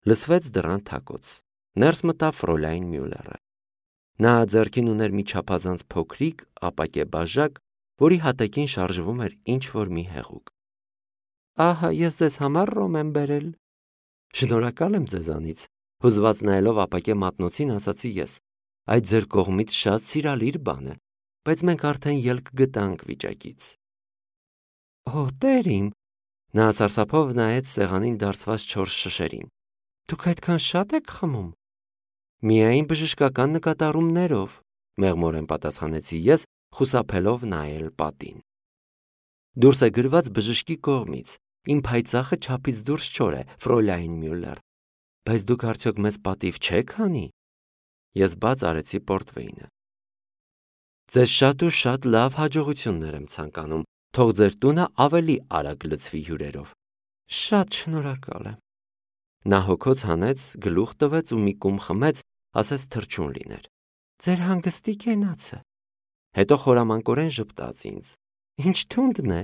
Լսվեց դռան թակոց։ Ներս մտավ Ֆրոլայն Մյուլերը։ Նա ձեռքին ուներ մի չափազանց փոքրիկ ապակե բաժակ, որի հատակին շարժվում էր ինչ-որ մի հեղուկ։ Ահա ես ձեզ համար ռոմ եմ բերել։ Շնորհակալ եմ ձեզանից, հուզված նայելով ապակե մատնոցին ասացի ես։ Այդ ձեր կողմից շատ սիրալիր բան է, բայց մենք արդեն ելք գտանք վիճակից։ Օ, տեր իմ, նա սարսափով նայեց սեղանին դարսված 4 շշերին։ Դուք այդքան շատ եք խմում։ Միայն բժշկական նկատառումներով, մեղմորեն պատասխանեցի ես, խուսափելով նայել պատին։ Դուրս է գրված բժշկի կողմից, իմ փայծախը չափից դուրս չոր է, Ֆրոլայն Մյուլեր։ Բայց դուք արդյոք մեզ պատիվ չեք հանի։ Ես բաց արեցի պորտվեյնը։ Ձեզ շատ ու շատ լավ հաջողություններ եմ ցանկանում, թող ձեր տունը ավելի արագ լցվի հյուրերով։ Շատ շնորհակալ եմ։ Նա հոգոց հանեց, գլուխ տվեց ու մի կում խմեց, ասես թռչուն լիներ։ Ձեր հանգստի կենացը։ Հետո խորամանկորեն ժպտաց ինձ։ Ինչ թունդն է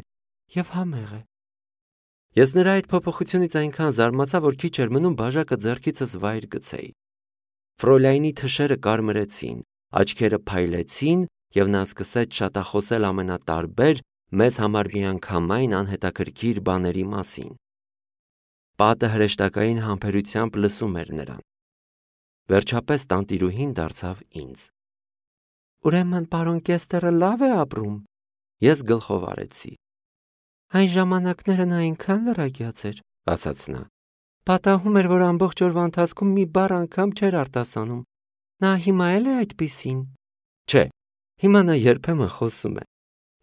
եւ համեղ է։ Ես նրա այդ փոփոխությունից այնքան զարմացա, որ քիչ էր մնում բաժակը ձեռքիցս վայր գցեի։ Ֆրոլայնի թշերը կարմրեցին, աչքերը փայլեցին եւ նա սկսեց շատախոսել ամենատարբեր, մեզ համար միանգամայն անհետաքրքիր բաների մասին։ Պատը հրեշտակային համբերությամբ լսում էր նրան։ Վերջապես տանտիրուհին դարձավ ինձ։ Ուրեմն պարոն Կեստերը լավ է ապրում։ Ես գլխով արեցի։ Այն ժամանակներն այնքան լրակյաց էր, ասաց նա։ Պատահում էր, որ ամբողջ օրվա ընթացքում մի բառ անգամ չէր արտասանում։ Նա հիմա էլ է այդպիսին։ Չէ, հիմա նա երբեմն խոսում է։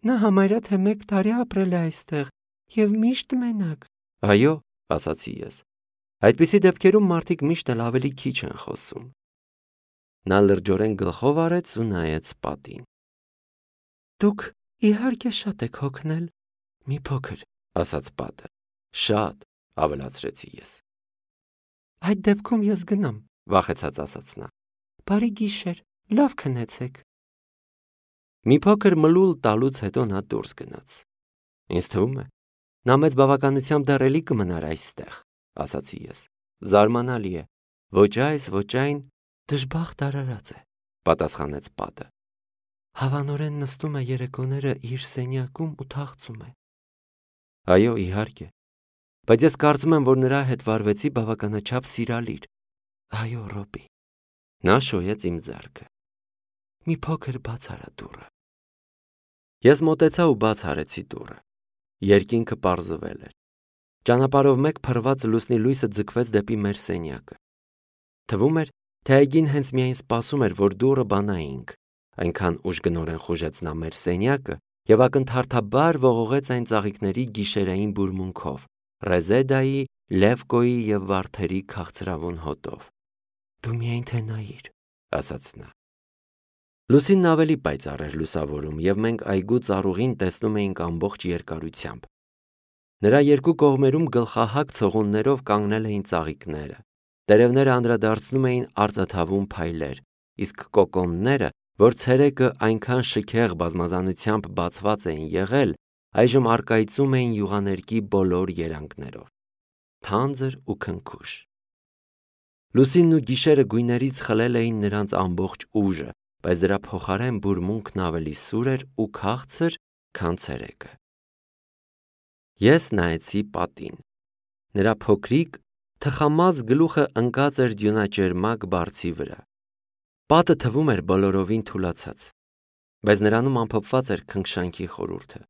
Նա համարյա թե 1 տարի ապրել է այստեղ եւ միշտ մենակ։ Այո, ասացի ես։ Այդպիսի դեպքերում մարդիկ միշտ էլ ավելի քիչ են խոսում։ Նա լրջորեն գլխով արեց ու նայեց պատին։ Դուք իհարկե շատ եք հոգնել։ Մի փոքր, ասաց պատը։ Շատ, ավելացրեցի ես։ Այդ դեպքում ես գնամ, վախեցած ասաց նա։ Բարի գիշեր, լավ քնեցեք։ Մի փոքր մլուլ տալուց հետո նա դուրս գնաց։ Ինձ թվում է, նա մեծ բավականությամբ դեռ էլի կմնար այստեղ, ասացի ես։ Զարմանալի է, ոչ այս, ոչ այն, դժբախտ արարած է, պատասխանեց պատը։ Հավանորեն նստում է երեկոները իր սենյակում ու թախծում է։ Այո, իհարկե, բայց ես կարծում եմ, որ նրա հետ վարվեցի բավականաչափ սիրալիր։ Այո, Ռոբի։ Նա շոյեց իմ ձեռքը։ Մի փոքր բաց արա դուռը։ Ես մոտեցա ու բաց արեցի դուռը։ Երկինքը պարզվել էր։ Ճանապարհով մեկ փռված լուսնի լույսը ձգվեց դեպի մեր սենյակը։ Թվում էր, թե այգին հենց միայն սպասում էր, որ դուռը բանայինք, այնքան ուժգնորեն խուժեց նա մեր սենյակը եւ ակնթարթաբար ողողեց այն ծաղիկների գիշերային բուրմունքով, Ռեզեդայի, Լևկոյի եւ վարդերի քաղցրավուն հոտով։ Դու միայն թե նայիր, ասաց նա։ Լուսինն ավելի պայծառ էր լուսավորում եւ մենք այգու ծառուղին տեսնում էինք ամբողջ երկարությամբ։ Նրա երկու կողմերում գլխահակ ցողուններով կանգնել էին ծաղիկները։ Տերևները անդրադարձնում էին արծաթավուն փայլեր, իսկ կոկոնները, որ ցերեկը այնքան շքեղ բազմազանությամբ բացված էին եղել, այժմ առկայծում էին յուղաներկի բոլոր երանգներով։ Թանձր ու քնքուշ։ Լուսինն ու գիշերը գույներից խլել էին նրանց ամբողջ ուժը, բայց դրա փոխարեն բուրմունքն ավելի սուր էր ու քաղցր, քան ցերեկը։ Ես նայեցի պատին։ Նրա փոքրիկ, թխամազ գլուխը ընկած էր դյունաճերմակ բարձի վրա։ Պատը թվում էր բոլորովին թուլացած, բայց նրանում ամփոփված էր քնքշանքի խորհուրդը։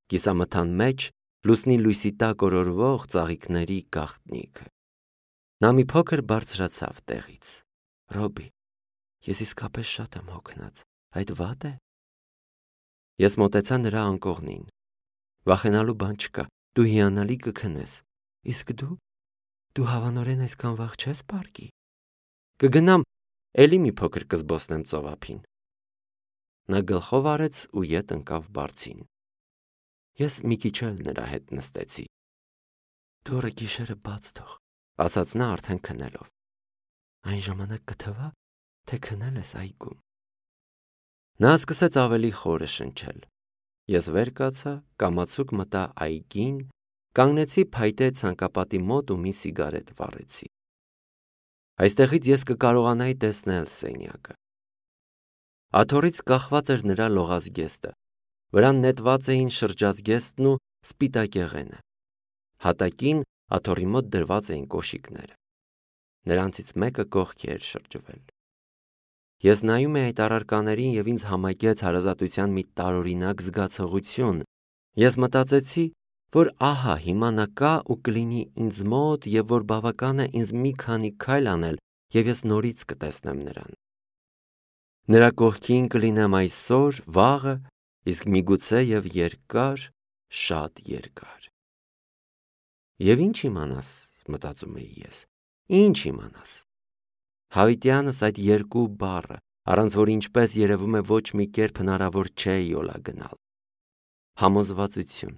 Կիսամթան մեջ լուսնի լույսի տակ օրորվող ծաղիկների գաղտնիքը։ Նա մի փոքր բարձրացավ տեղից։ Ռոբի, ես իսկապես շատ եմ հոգնած, այդ վատ է։ Ես մոտեցա նրա անկողնին։ Վախենալու բան չկա, դու հիանալի կքնես։ Իսկ դու հավանորեն այսքան վաղ չես պարկի։ Կգնամ, էլի մի փոքր կզբոսնեմ ծովափին։ Նա գլխով արեց ու ետ ընկավ բարձին։ Ես մի քիչ էլ նրա հետ նստեցի։ Դուռը գիշերը բաց թող, ասաց նա արդեն քնելով։ Այն ժամանակ կթվա, թե քնել ես այգում։ Նա սկսեց ավելի խորը շնչել։ Ես վեր կացա, կամացուկ մտա այգին, կանգնեցի փայտե ցանկապատի մոտ ու մի սիգարետ վառեցի։ Այստեղից ես կկարողանայի տեսնել սենյակը։ Աթոռից կախված էր նրա լողազգեստը, վրան նետված էին շրջազգեստն ու սպիտակեղենը։ Հատակին աթոռի մոտ դրված էին կոշիկները։ Նրանցից մեկը կողքի էր շրջվել։ Ես նայում էի այդ առարկաներին և ինձ համակեց հարազատության մի տարօրինակ զգացողություն։ Ես մտածեցի, որ ահա հիմա նա կա ու կլինի ինձ մոտ և որ բավական է ինձ մի քանի քայլ անել և ես նորից կտեսնեմ նրան։ Նրա կողքին կլինեմ այսօր, վաղը, իսկ միգուցե և երկար, շատ երկար։ Եվ ինչ իմանաս, մտածում էի ես, ինչ իմանաս։ Հավիտյանս այդ երկու բառը, առանց որ ինչպես երևում է ոչ մի կերպ հնարավոր չէ յոլա գնալ։ Համոզվածություն,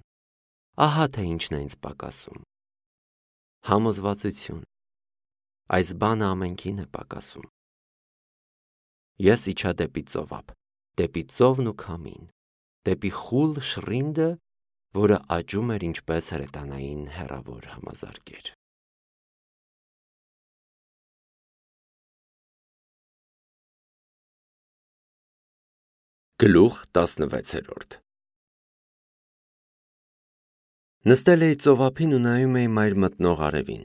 ահա թե ինչն է ինձ պակասում։ Համոզվածություն, այս բանը ամենքին է պակասում։ Ես իջա դեպի ծովափ, դեպի ծովն ու քամին, դեպի խուլ շռինդը, որը աճում էր ինչպես հրետանային հեռավոր համազարգեր։ Գլուխ 16 Նստել էի ծովափին ու նայում էի մայր մտնող արևին։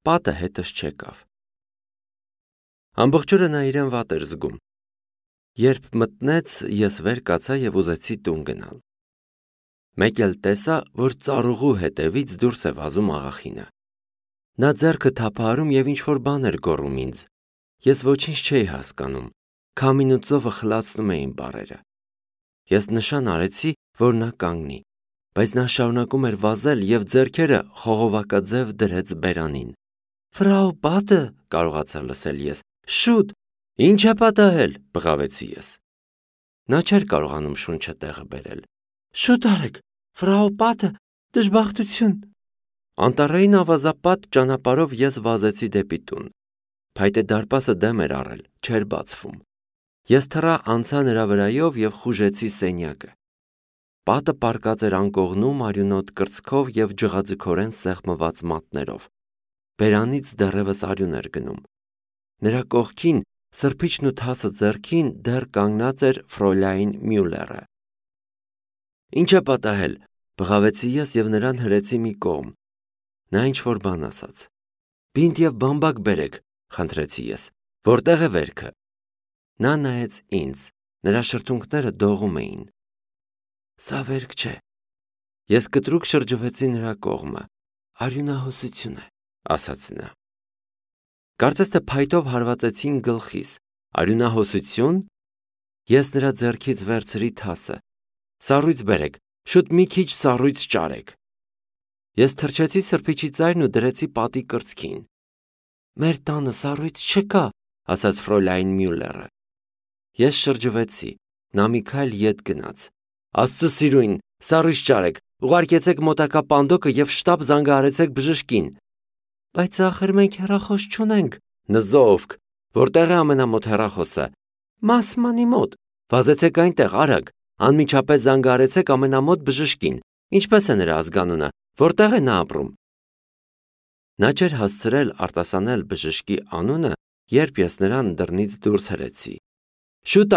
Պատը հետս չեկավ։ Ամբողջ օրը նա իրեն վատ էր զգում։ Երբ մտնեց, ես վեր կացա և ուզեցի տուն գնալ։ Մեկ էլ տեսա, որ ծառուղու հետևից դուրս է վազում աղախինը։ Նա ձեռքը թափահարում և ինչ-որ բան էր գոռում ինձ։ Ես ոչինչ չէի հասկանում։ Քամին ու ծովը խլացնում էին բառերը։ Ես նշան արեցի, որ նա կանգնի, բայց նա շարունակում էր վազել և ձեռքերը խողովակաձև դրեց բերանին։ Ֆրау Պատը, կարողացա լսել ես, շուտ, ինչ է պատահել, բղավեցի ես։ Նա չէր կարողանում շունչը տեղը բերել։ Շուտ արեք, ֆրау Պատը, դժբախտություն։ Անտառային ավազապատ ճանապարհով ես վազեցի դեպի տուն։ Փայտե դարպասը դեմ էր առել, չէր բացվում։ Ես թռա անցա նրա վրայով և խուժեցի սենյակը։ Պատը պառկած էր անկողնում արյունոտ կրծքով և ջղաձգորեն սեղմված մատներով։ Բերանից դեռևս արյուն էր գնում։ Նրա կողքին, սրբիչն ու թասը ձեռքին դեռ կանգնած էր Ֆրոլայն Մյուլլերը։ Ինչ է պատահել, բղավեցի ես և նրան հրեցի մի կողմ։ Նա ինչ-որ բան ասաց։ Բինտ և բամբակ բերեք, խնդրեցի ես։ Որտեղ է վերքը։ Նա նայեց ինձ, նրա շրթունքները դողում էին։ Սա վերք չէ։ Ես կտրուկ շրջվեցի նրա կողմը։ Արյունահոսություն է, ասաց նա։ Կարծես թե փայտով հարվածեցին գլխիս։ Արյունահոսություն։ Ես նրա ձեռքից վերցրի թասը։ Սառույց բերեք, շուտ մի քիչ սառույց ճարեք։ Ես թրջեցի սրբիչի ծայրն ու դրեցի պատի կրծքին։ Մեր տանը սառույց չկա, ասաց Ֆրոլայն Մյուլլերը։ Ես շրջվեցի, նա մի քայլ ետ գնաց։ Աստծո սիրուն, սառույց ճարեք, ուղարկեցեք մոտակա պանդոկը և շտապ զանգահարեցեք բժշկին։ Բայց ախր մենք հեռախոս չունենք։ Նզովք, որտեղ է ամենամոտ հեռախոսը։ Մասմանի մոտ։ Վազեցեք այնտեղ, արագ, անմիջապես զանգահարեցեք ամենամոտ բժշկին։ Ինչպես է նրա ազգանունը, որտեղ է նա ապրում։ Նա չէր հասցրել արտասանել բժշկի անունը, երբ ես նրան դռնից դուրս հրեցի։ Շուտ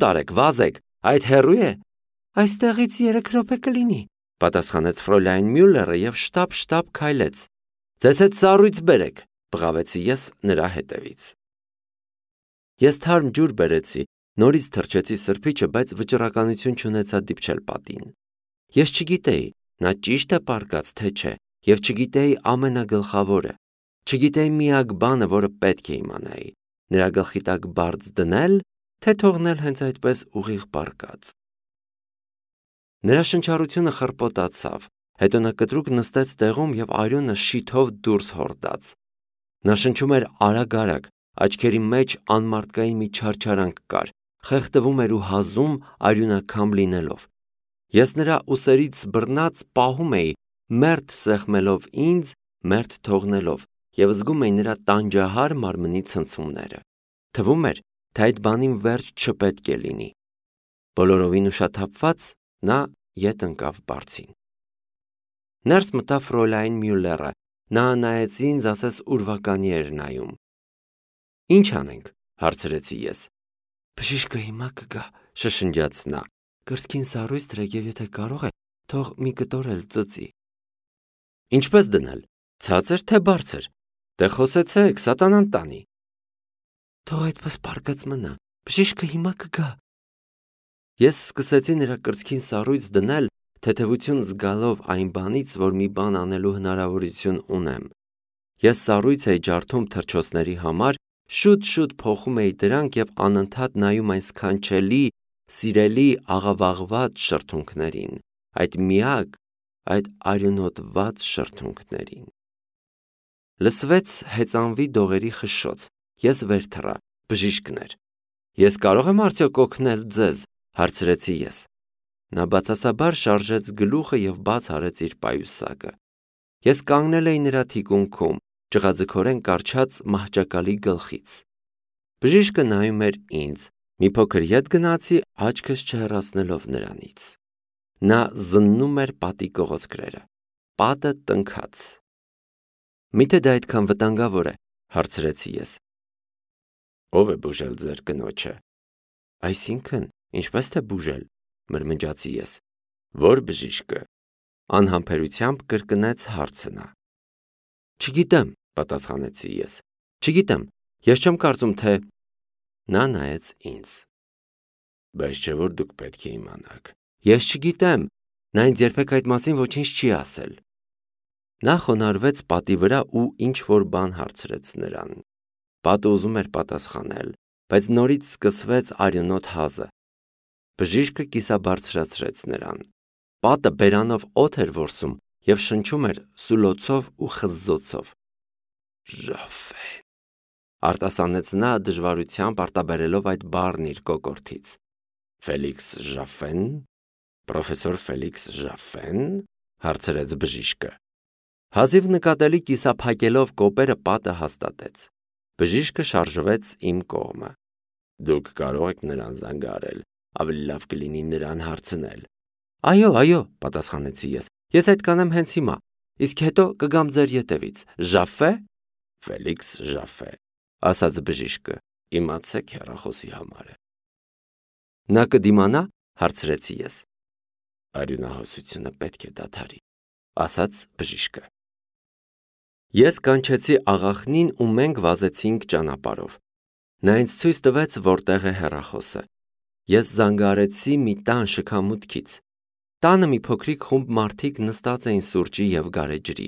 արեք, վազեք, այդ հեռու է։ Այստեղից 3 րոպե կլինի, պատասխանեց Ֆրոլայն Մյուլլերը և շտապ քայլեց։ Ձեզ հետ սառույց բերեք, բղավեցի ես նրա հետևից։ Ես թարմ ջուր բերեցի, նորից թրջեցի սրբիչը, բայց վճռականություն չունեցա դիպչել պատին։ Ես չգիտեի, նա ճիշտ է պառկած, թե չէ, և չգիտեի ամենագլխավորը։ Չգիտեի միակ բանը, որը պետք է իմանայի։ Նրա գլխի տակ բարձ դնել, թե թողնել հենց այդպես ուղիղ պառկած։ Նրա շնչառությունը խռպոտացավ, հետո նա կտրուկ նստեց տեղում և արյունը շիթով դուրս հորդաց։ Նա շնչում էր արագ, աչքերի մեջ անմարդկային մի չարչարանք կար, խեղդվում էր ու հազում արյունաքամ լինելով։ Ես նրա ուսերից բռնած պահում էի, մերթ սեղմելով ինձ, մերթ թողնելով, և զգում էի նրա տանջահար մարմնի ցնցումները։ Թվում էր, թե այդ բանին վերջ չպետք է լինի։ Բոլորովին ուշաթափված նա ետ ընկավ բարձին։ Ներս մտավ Ֆրոլայն Մյուլլերը, նա նայեց ինձ, ասես ուրվականի էր նայում։ Ինչ անենք, հարցրեցի ես։ Բժիշկը հիմա կգա, շշնջաց նա։ Կրծքին սառույց դրեք եւ եթե կարող է, թող մի կտոր էլ ծծի։ Ինչպես դնել, ցածր թե բարձր։ Դե խոսեցեք, սատանան տանի։ Թող այդպես պարկած մնա, բժիշկը հիմա կգա։ Ես սկսեցի նրա կրծքին սառույց դնել, թեթևություն զգալով այն բանից, որ մի բան անելու հնարավորություն ունեմ։ Ես սառույց էի ջարդում թռչոցների համար, շուտ-շուտ փոխում էի դրանք եւ անընդհատ նայում այն սքանչելի, սիրելի աղավաղված շրթունքներին, այդ միակ, այդ արյունոտված շրթունքներին։ Լսվեց հեծանվի դողերի խշշոց, ես վեր թռա, բժիշկն էր։ Ես կարող եմ արդյոք օգնել ձեզ, հարցրեցի ես։ Նա բացասաբար շարժեց գլուխը եւ բաց արեց իր պայուսակը։ Ես կանգնել էի նրա թիկունքում, ճղաձգորեն կառչած մահճակալի գլխից։ Բժիշկը նայում էր ինձ, մի փոքր ետ գնացի, աչքս չհեռացնելով նրանից։ Նա զննում էր պատի կողոսկրերը։ Պատը տնքաց։ Միթե դա այդքան վտանգավոր է, հարցրեցի ես։ Ո՞վ է բուժել ձեր կնոջը։ Այսինքն, ինչպես թե բուժել, մրմնջացի ես։ Որ բժիշկը։ Անհամբերությամբ կրկնեց հարցը նա։ Չգիտեմ, պատասխանեցի ես։ Չգիտեմ, ես չեմ կարծում, թե… Նա նայեց ինձ։ Բայց չէ որ դուք պետք է իմանաք։ Ես չգիտեմ, նա ինձ երբեք այդ մասին ոչինչ չի ասել։ Նա խոնարհվեց պատի վրա ու ինչ-որ բան հարցրեց նրան։ Պատը ուզում էր պատասխանել, բայց նորից սկսվեց արյունոտ հազը։ Բժիշկը կիսաբարձրացրեց նրան։ Պատը բերանով օդ էր որսում և շնչում էր սուլոցով ու խզզոցով։ Ժաֆեն, արտասանեց նա դժվարությամբ արտաբերելով այդ բառն իր կոկորդից։ Ֆելիքս Ժաֆեն, պրոֆեսոր Ֆելիքս Ժաֆեն, հարցրեց բժիշկը։ Հազիվ նկատելի կիսափակելով կոպերը պատը հաստատեց։ Բժիշկը շարժվեց իմ կողմը։ Դուք կարող եք նրան զանգարել, ավելի լավ կլինի նրան հարցնել։ Այո, պատասխանեցի ես։ Ես այդ կանեմ հենց հիմա, իսկ հետո կգամ ձեր ետևից։ Ժաֆե։ Ֆելիքս Ժաֆե, ասաց բժիշկը։ Իմացեք հեռախոսի համարը։ Նա կդիմանա, հարցրեցի ես։ Արյունահոսությունը պետք է դադարի, ասաց բժիշկը։ Ես կանչեցի աղախնին ու մենք վազեցինք ճանապարհով։ Նա ինձ ցույց տվեց որտեղ է հեռախոսը։ Ես զանգարեցի մի տան շքամուտքից։ Տանը մի փոքրիկ խումբ մարդիկ նստած էին սուրճի եւ գարեջրի։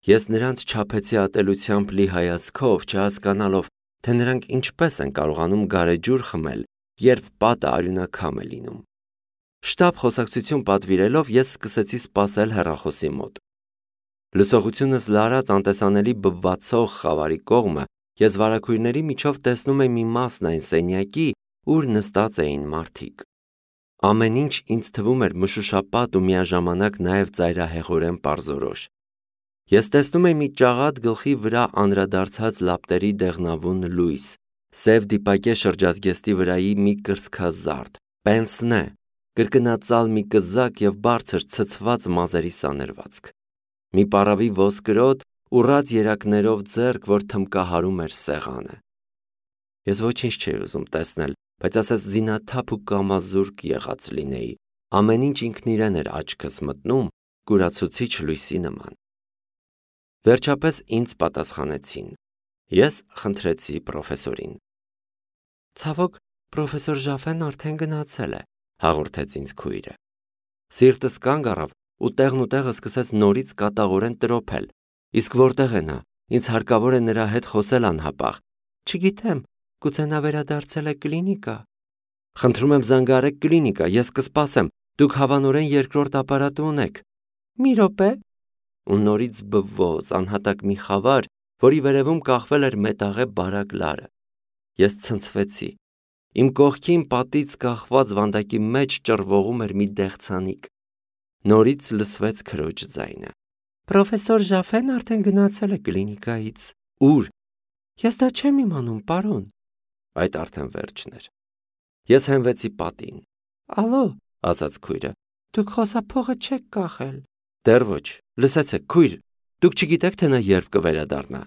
Ես նրանց չափեցի ատելությամբ լի հայացքով, չհասկանալով, թե նրանք ինչպես են կարողանում գարեջուր խմել, երբ պատը արյունաքամ է լինում։ Շտապ խոսակցություն պատվիրելով ես սկսեցի սպասել հեռախոսի մոտ։ Լսողությունս լարած անտեսանելի բվացող խավարի կողմը, ես վարագույրների միջով տեսնում եմ մի մասն այն սենյակի, ուր նստած էին մարդիկ։ Ամեն ինչ ինձ թվում էր մշուշապատ ու միաժամանակ նաև ծայրահեղորեն պարզորոշ։ Ես տեսնում եմ մի ճաղատ գլխի վրա անդրադարձած լապտերի դեղնավուն լույս, սև դիպակե շրջազգեստի վրայի մի կրծքազարդ, պենսնե, կրկնածալ մի կզակ և բարձր ցցված մազերի սաներվածք։ Մի պառավի ոսկրոտ, ուռած երակներով ձեռք, որ թմկահարում էր սեղանը։ Ես ոչինչ չէի ուզում տեսնել, բայց ասես զինաթափ ու կամազուրկ եղած լինեի։ Ամեն ինչ ինքն իրեն էր աչքս մտնում, կուրացուցիչ լույսի նման։ Վերջապես ինձ պատասխանեցին։ Ես խնդրեցի պրոֆեսորին։ Ցավոք, պրոֆեսոր Ժաֆեն արդեն գնացել է, հաղորդեց ինձ քույրը։ Սիրտս կանգ առավ ու տեղնուտեղը սկսեց նորից կատաղորեն տրոփել։ Իսկ որտեղ է նա։ Ինձ հարկավոր է նրա հետ խոսել անհապաղ։ Չգիտեմ, գուցե նա վերադարձել է կլինիկա։ Խնդրում եմ զանգարեք կլինիկա, ես կսպասեմ։ Դուք հավանորեն երկրորդ ապարատը ունեք։ Մի րոպե։ Ու նորից բվոց անհատակ մի խավար, որի վերևում կախվել էր մետաղե բարակ լարը։ Ես ցնցվեցի։ Իմ կողքին պատից կախված վանդակի մեջ ճռվողում էր մի դեղցանիկ։ Նորից լսվեց քրոջ ձայնը։ Պրոֆեսոր Ժաֆեն արդեն գնացել է կլինիկայից։ Ուր։ Ես դա չեմ իմանում, պարոն։ Այդ արդեն վերջն էր։ Ես հենվեցի պատին։ Ալո, ասաց քույրը, դուք խոսափողը չեք կախել։ Դեռ ոչ, լսեցեք, քույր, դուք չգիտեք, թե նա երբ կվերադառնա։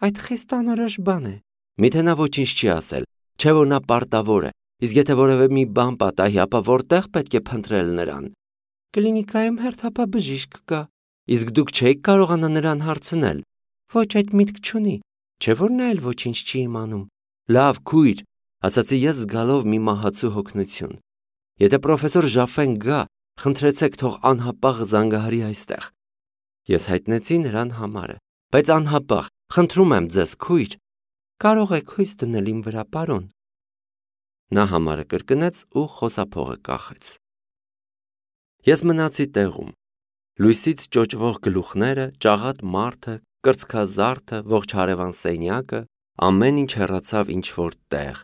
Այդ խիստ անորոշ բան է։ Միթե նա ոչինչ չի ասել, չէ որ նա պարտավոր է, իսկ եթե որևէ մի բան պատահի, ապա որտեղ պետք է փնտրել նրան։ Կլինիկայում հերթապաբժիշկ կա, իսկ դուք չէիք կարողանա նրան հարցնել։ Ոչ, այդ միտք չունի, չէ որ նա էլ ոչինչ չի իմանում։ Լավ, քույր, ասացի ես զգալով մի մահացու հոգնություն։ Եթե պրոֆեսոր Ժաֆեն գա, խնդրեցեք թող անհապաղ զանգահարի այստեղ։ Ես հայտնեցի նրան համարը, բայց անհապաղ, խնդրում եմ ձեզ, քույր, կարող եք հույս դնել իմ վրա, պարոն։ Նա համարը կրկնեց ու խոսափողը կախեց։ Ես մնացի տեղում։ Լույսից ճոճվող գլուխները, ճաղատ մարդը, կրծքազարդը, ողջ հարևան սենյակը, ամեն ինչ հեռացավ ինչ-որ տեղ,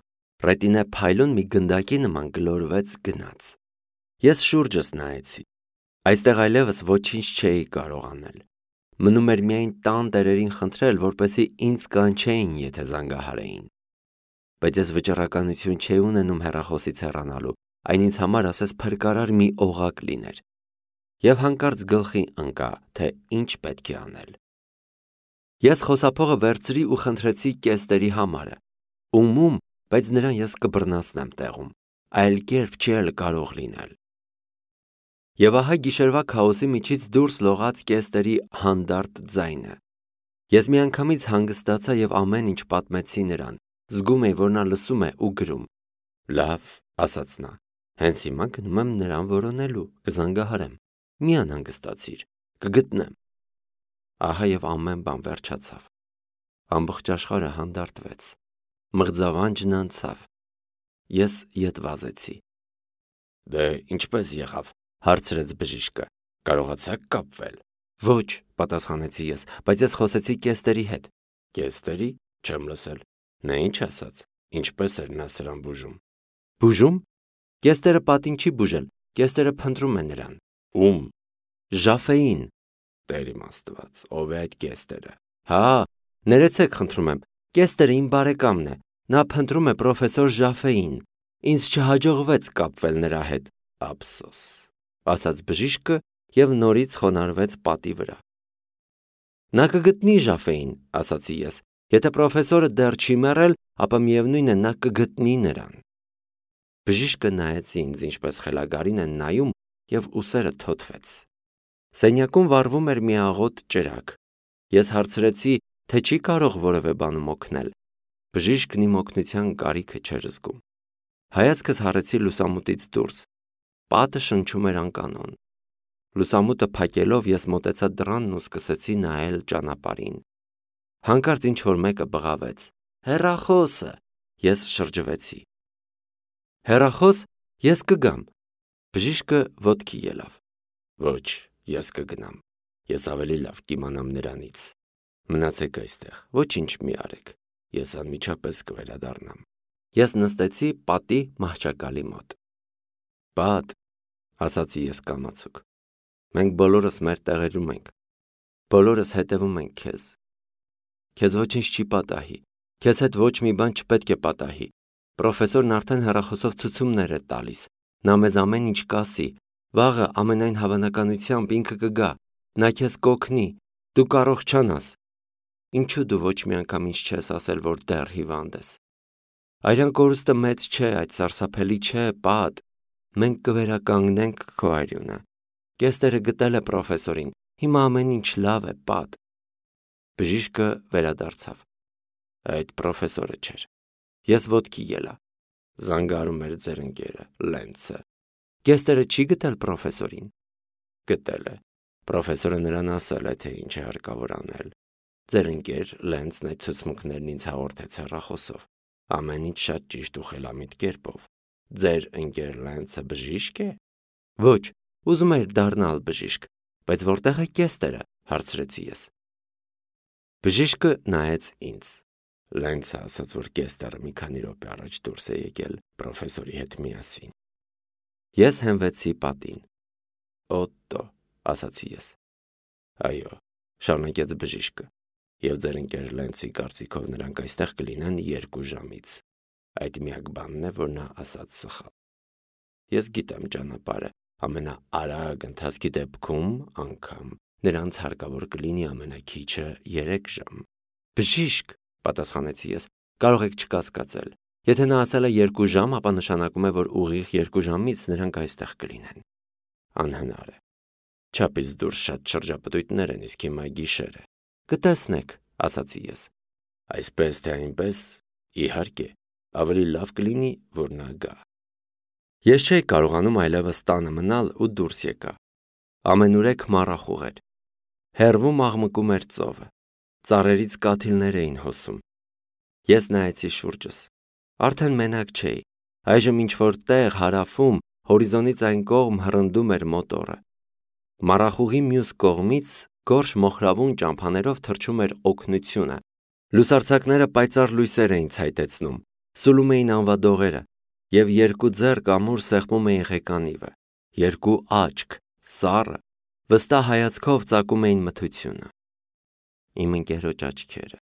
ռետինե փայլուն մի գնդակի նման գլորվեց գնաց։ Ես շուրջս նայեցի։ Այստեղ այլևս ոչինչ չէի կարող անել։ Մնում էր միայն տան տերերին խնդրել, որպեսզի ինձ կանչեին, եթե զանգահարեին։ Բայց ես վճռականություն չէի ունենում հեռախոսից հեռանալու, այն ինձ համար ասես փրկարար մի օղակ լիներ։ Եվ հանկարծ գլխի ընկա, թե ինչ պետք է անել։ Ես խոսափողը վերցրի ու խնդրեցի կեստերի համարը։ Ում, բայց նրան ես կբռնացնեմ տեղում, այլ կերպ չի էլ կարող լինել։ Եվ ահա գիշերվա քաոսի միջից դուրս լողաց կեստերի հանդարտ ձայնը։ Ես միանգամից հանգստացա եւ ամեն ինչ պատմեցի նրան, զգում էի, որ նա լսում է ու գրում։ Լավ, ասաց նա, հենց հիմա գնում եմ նրան որոնելու, կզանգահարեմ, մի անհանգստացիր, կգտնեմ։ Ահա եւ ամեն բան վերջացավ։ Ամբողջ աշխարհը հանդարտվեց, մղձավանջն անցավ։ Ես ետ վազեցի։ Դե ինչպես եղավ, հարցրեց բժիշկը, կարողացաք կապվել։ Ոչ, պատասխանեցի ես, բայց ես խոսեցի կեստերի հետ։ Կեստերի, չեմ լսել։ Նա ինչ ասաց, ինչպես էր նա սրան բուժում։ Բուժում։ Կեստերը պատին չի բուժել, կեստերը փնտրում է նրան։ Ում։ Ժաֆեին։ Տեր իմ Աստված, ով է այդ կեստերը։ Հա, ներեցեք, խնդրում եմ, կեստերը իմ բարեկամն է, նա փնտրում է պրոֆեսոր Ժաֆեին։ Ինձ չհաջողվեց կապվել նրա հետ։ Ափսոս, ասաց բժիշկը եւ նորից խոնարհվեց պատի վրա։ Նա կգտնի Ժաֆեին, ասացի ես։ Եթե պրոֆեսորը դեռ չի մեռել, ապա միևնույն է նա կգտնի նրան։ Բժիշկը նայեց ինձ, ինչպես խելագարին են նայում, եւ ուսերը թոթվեց։ Սենյակում վառվում էր մի աղոտ ճրագ։ Ես հարցրեցի, թե չի կարող որևէ բանում օգնել։ Բժիշկն իմ օգնության կարիքը չէր զգում։ Հայացքս հառեցի լուսամուտից դուրս։ Պատը շնչում էր անկանոն։ Լուսամուտը փակելով ես մոտեցա դռանն ու սկսեցի նայել ճանապարհին։ Հանկարծ ինչ-որ մեկը բղավեց. Հեռախոսը։ Ես շրջվեցի։ Հեռախոս, ես կգամ։ Բժիշկը ոտքի ելավ։ Ոչ, ես կգնամ։ Ես ավելի լավ կիմանամ նրանից։ Մնացեք այստեղ, ոչինչ մի արեք։ Ես անմիջապես կվերադառնամ։ Ես նստեցի պատի մահճակալի մոտ։ Պատ, ասացի ես կամացուկ։ Մենք բոլորս մեր տեղերում ենք։ Բոլորս հետևում ենք քեզ։ Քեզ ոչինչ չի պատահի։ Քեզ հետ ոչ մի բան չպետք է պատահի։ Պրոֆեսորն արդեն հեռախոսով ցուցումներ է տալիս։ Նա մեզ ամեն ինչ կասի։ Վաղը ամենայն հավանականությամբ ինքը կգա։ Նա քեզ կօգնի։ Դու կառողջանաս։ Ինչու դու ոչ մի անգամ ինձ չես ասել, որ դեռ հիվանդ ես։ Այրան կորուստը մեծ չէ, այդ սարսափելի չէ, Պատ։ Մենք կվերականգնենք քո արյունը։ Կեստերը գտել է պրոֆեսորին։ Հիմա ամեն ինչ լավ է, Պատ։ Բժիշկը վերադարձավ։ Այդ պրոֆեսորը չէր։ Ես ոտքի ելա։ Զանգարում էր ձեր ընկերը, Լենցը։ Կեստերը չի գտել պրոֆեսորին։ Գտել է։ Պրոֆեսորը նրան ասել է, թե ինչ է հարկավոր անել։ Ձեր ընկեր Լենցն այդ ցուցմունքներն ինձ հաղորդեց հեռախոսով։ Ամեն ինչ շատ ճիշտ ու խելամիտ կերպով։ Ձեր ընկեր Լենցը բժիշկ է։ Ոչ, ուզում էր դառնալ բժիշկ, բայց որտեղ է կեստերը, հարցրեցի ես։ Բժիշկը նայեց ինձ։ Լենցը ասաց, որ կեստերը մի քանի րոպե առաջ դուրս է եկել պրոֆեսորի հետ միասին։ Ես հենվեցի պատին։ Օտտո, ասացի ես։ Այո, շարունակեց բժիշկը։ Եվ ձեր ընկեր Լենցի կարծիքով նրանք այստեղ կլինեն 2 ժամից։ Այդ միակ բանն է, որ նա ասաց սխալ։ Ես գիտեմ ճանապարհը, ամենաարագ ընթացքի դեպքում անգամ նրանց հարկավոր կլինի ամենաքիչը 3 ժամ։ Բժիշկ, պատասխանեցի ես, Կարող եք չկասկածել։ Եթե նա ասել է 2 ժամ, ապա նշանակում է, որ ուղիղ 2 ժամից նրանք այստեղ կլինեն։ Անհնար է։ Չափից դուրս շատ շրջապտույտներ են, իսկ հիմա գիշեր է։ Կտեսնեք, ասացի ես։ Այսպես թե այնպես, իհարկե, ավելի լավ կլինի, որ նա գա։ Ես չէի կարողանում այլևս տանը մնալ ու դուրս եկա։ Ամենուրեք մառախուղ էր։ Հեռվում աղմկում էր ծովը։ Ծառերից կաթիլներ էին հոսում։ Ես նայեցի շուրջս։ Արդեն մենակ չէի։ Այժմ ինչ-որ տեղ հարավում, հորիզոնից այն կողմ հռնդում էր մոտորը։ Մառախուղի մյուս կողմից գորշ մոխրավուն ճամփաներով թռչում էր օգնությունը։ Լուսարձակները պայծառ լույսեր էին ցայտեցնում, սուլում էին անվադողերը, և 2 ձեռք ամուր սեղմում էին ղեկանիվը, 2 աչք, սառը, վստահ հայացքով ծակում էին մթությունը։ Իմ ընկերոջ աչքերը։